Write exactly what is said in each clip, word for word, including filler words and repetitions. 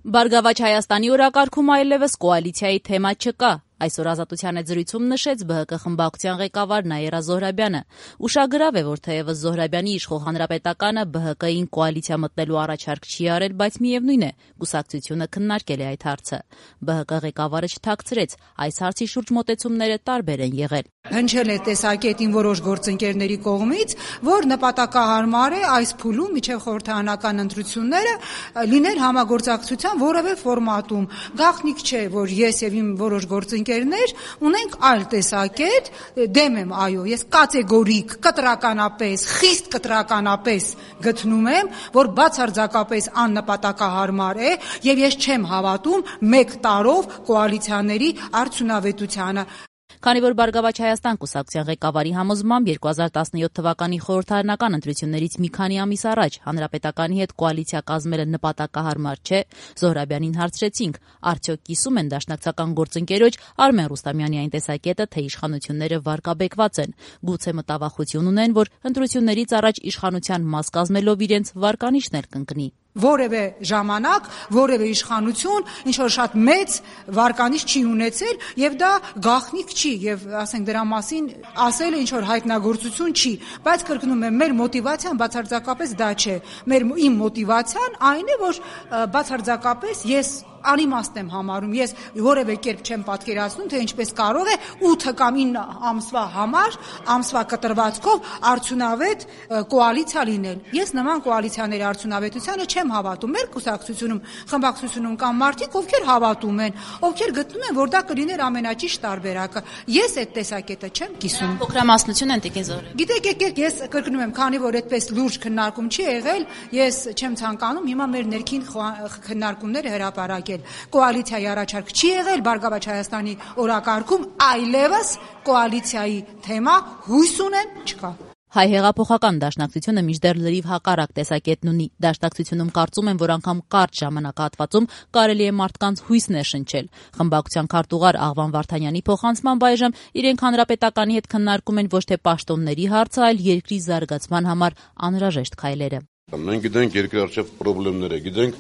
Բարգավաճ Հայաստանի օրակարգում այլևս կոալիցիայի թեմա չկա։ Այսօր Ազատության հետ զրույցում նշեց Բ Հ Կ խմբակցության ղեկավար Նաիրա Զոհրաբյանը։ Ուշագրավ է, որ թեևս Զոհրաբյանի իշխող Հանրապետականը Բ Հ Կ-ին կոալիցիա մտնելու առաջարկ չի արել, բայց միևնույն է, կուսակցությունը քննարկել է այդ հարցը։ Բ Հ Կ ղեկավարը չթաքցրեց, այս հարցի շուրջ մոտեցումները տարբեր են եղել։ Հնչել է տեսակետին որոշ գործընկերների կողմից, որ նպատակահարմար է այս փուլում միջև խորհրդարանական ընտրությունները լինել համագործակցության որևէ ֆորմատում։ Գաղտնիք չէ, որ ես եւ իմ որոշ գործընկերներ ունենք այլ տեսակետ, դեմ եմ, այո, ես կատեգորիկ, կտրականապես, խիստ կտրականապես գտնում եմ, որ բացարձակապես աննպատակահարմար է եւ ես չեմ հավատում մեկ տարով կոալիցիաների արդյունավետությանը։ Քանի որ Բարգավաճ Հայաստան կուսակցության ղեկավարի համոզմամբ երկու հազար տասնյոթ թվականի խորհրդարանական ընտրություններից մի քանի ամիս առաջ Հանրապետականի հետ կոալիցիա կազմելը նպատակահարմար չէ, Զոհրաբյանին հարցրեցինք, արդյոք կիսում են դաշնակցական գործընկերոջ Արմեն Ռուստամյանի այն տեսակետը, թե իշխանությունները վարկաբեկված են, գուցե մտավախություն ունեն, որ ընտրություններից առաջ իշխանության մաս կազմելով իրենց վարկանիշն էլ կընկնի։ Որևէ ժամանակ, որևէ իշխանություն ինչ որ շատ մեծ վարկանիշ չի ունեցել եւ դա գաղտնիք չի եւ ասենք դրա մասին ասել ինչ որ հայտնագործություն չի, բայց կրկնում եմ, մեր մոտիվացիան բացարձակապես դա չէ։ Մեր իմ մոտիվացիան այն է, որ բացարձակապես ես անիմաստ եմ համարում, ես որևէ կերպ չեմ պատկերացնում, թե ինչպես կարող է ութ կամ ինը ամսվա համար, ամսվա կտրվածքով արդյունավետ կոալիցիա լինել։ Ես նման կոալիցիաների արդյունավետությանը չեմ հավատում։ Մեր կուսակցությունում, խմբակցությունում կան մարդիկ, ովքեր հավատում են, ովքեր գտնում են, որ դա կլիներ ամենաճիշտ տարբերակը։ Ես այդ տեսակետը չեմ կիսում։ Փոքրամասնություն են տիկին Զոհրաբյան։ Գիտեք, եկեք, ես կրկնում եմ, քանի որ այդպես լուրջ քննարկում չի եղել, ես չեմ ցանկանում հիմա մեր ներքին քննարկումները հրապարակել։ Կոալիցիայի առաջարկ չի եղել Բարգավաճ Հայաստանի օրակարգում, այլևս կոալիցիայի թեմա հույս ունեմ չկա։ Հայ հեղափոխական դաշնակցությունը մինչդեռ լրիվ հակառակ տեսակետն ունի։ Դաշնակցությունում կարծում են, որ անգամ կարճ ժամանակահատվածում կարելի է մարդկանց հույս ներշնչել։ Խմբակցության քարտուղար Աղվան Վարդանյանի փոխանցմամբ այժմ իրենք Հանրապետականի հետ քննարկում են ոչ թե պաշտոնների հարցը, այլ երկրի զարգացման համար անհրաժեշտ քայլերը։ Մենք գիտենք երկրի առջև խնդիրները, գիտենք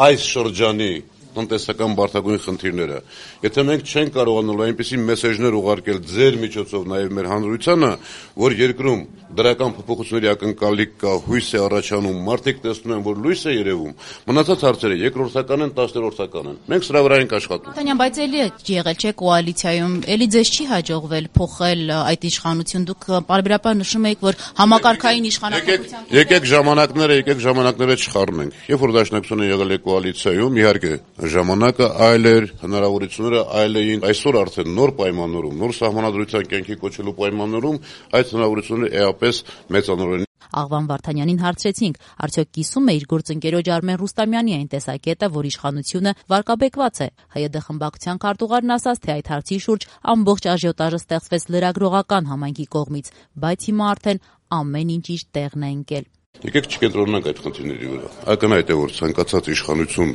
այս շրջանի տնտեսական բարդագույն խնդիրները։ Եթե մենք չենք կարողանալու այնպիսի մեսեջներ ուղարկել ձեր միջոցով նաև մեր հանրությանը, որ երկրում դրական փոփոխությունների ակնկալիք կա, հույս է առաջանում, մարդիկ տեսնում են, որ լույս է երևում, մնացած հարցերը երկրորդական են, տասներորդական են։ Մենք սրա վրա ենք աշխատում։ Տանյան, բայց էլի եղել չէ կոալիցիայում, էլի ձեզ չի հաջողվել փոխել այդ իշխանություն։ Դուք պարբերաբար նշում եք, որ համակարգային իշխանապետության։ Եկեք ժամանակները, եկեք ժամանակները չխառնենք։ Երբ որ դաշնակցությունը եղել է կոալիցիայում, իհարկե ժամանակը այլ էր, հնարավորությունները այլ էին։ Այսօր արդեն նոր պայմաններում, նոր սահմանադրության կյանքի կոչելու պայմաններում այդ հնարավորությունները էապես մեծանորեն։ Աղվան Վարդանյանին հարցրեցինք, արդյոք կիսում է իր գործընկերոջ Արմեն Ռուստամյանի այն տեսակետը, որ իշխանությունը վարկաբեկված է։ Հայ Դե խմբակցության քարտուղարն ասաց, թե այդ հարցի շուրջ ամբողջ աժիոտաժը ստեղծվեց լրագրողական համայնքի կողմից, բայց հիմա արդեն ամեն ինչ իր տեղն է ընկել։ Եկեք չկենտրոնանանք այդ խնդիրների վրա։ Ակնհայտ է, որ ցանկացած իշխանություն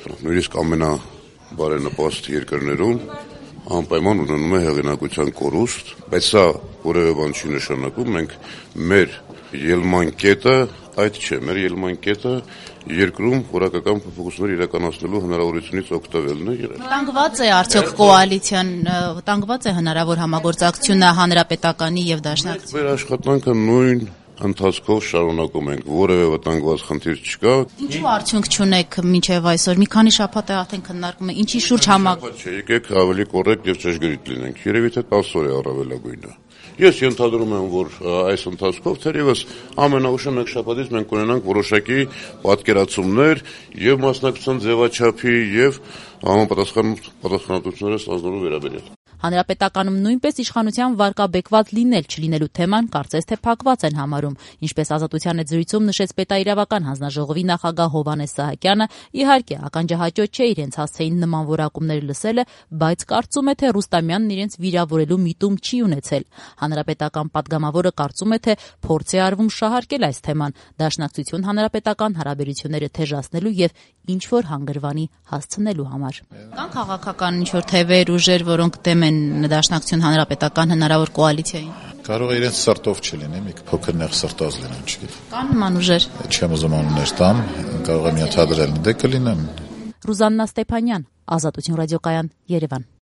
նույնիսկ ամենաբարենպաստ երկրներում անպայման ունենում է հեղինակության կորուստ, բայց սա որևէ բան չի նշանակում, մենք մեր ելման կետը այդ չէ, մեր ելման կետը երկրում որակական փոփոխություններ իրականացնելու հնարավորությունից օգտվելն է։ Վտանգված է արդյոք կոալիցիան, վտանգված է հնարավոր համագործակցությունը Հանրապետականի եւ Դաշնակցության։ Մեր աշխատանքը նույն ընթացքով շարունակում ենք, որևէ վտանգված խնդիր չկա։ Ինչու արդյունք չունեք մինչև այսօր։ Մի քանի շաբաթ է արդեն քննարկում է, ինչի շուրջ համագործակցություն։ Եկեք ավելի կոռեկտ եւ ճշգրիտ լինենք։ Երևի թե տասը օր է առավելագույնը։ Ես ենթադրում եմ, որ այս ընթացքով թերևս ամենաուշը մեկ շաբաթից մենք կունենանք որոշակի պատկերացումներ եւ մասնակցության ձևաչափի եւ համապատասխան պատասխանատվությունները ստանալու վերաբերյալ։ Հանրապետականում նույնպես իշխանության վարկաբեկված լինել չլինելու թեման կարծես թե փակված են համարում, ինչպես Ազատության հետ զրույցում նշեց Պետաիրավական հանձնաժողովի նախագահ Հովհաննես Սահակյանը, իհարկե ականջահաճո չէ իրենց հասցեին նման որակումներ լսելը, բայց կարծում է, թե Ռուստամյանն իրենց վիրավորելու միտում չի ունեցել։ Հանրապետական պատգամավորը կարծում է, թե փորձ է արվում շահարկել այս թեման, Դաշնակցություն հանրապետական հարաբերությունները թեժացնելու եւ ինչ որ հանգրվանի հասցնելու համար։ Կան քաղաքական ինչ որ թևեր, ուժեր, որոնք դեմ են Դաշնակցություն հանրապետական հնարավոր կոալիցիային։ Կարող է իրենց սրտով չլինի, մի փոքր նեղ սրտած լինեն, չգիտեմ։ Կան նման ուժեր։ Չեմ ուզում անուններ տամ, կարող եմ ենթադրել, դե կլինեն։ Ռուզաննա Ստեփանյան, Ազատություն ռադիոկայան, Երևան։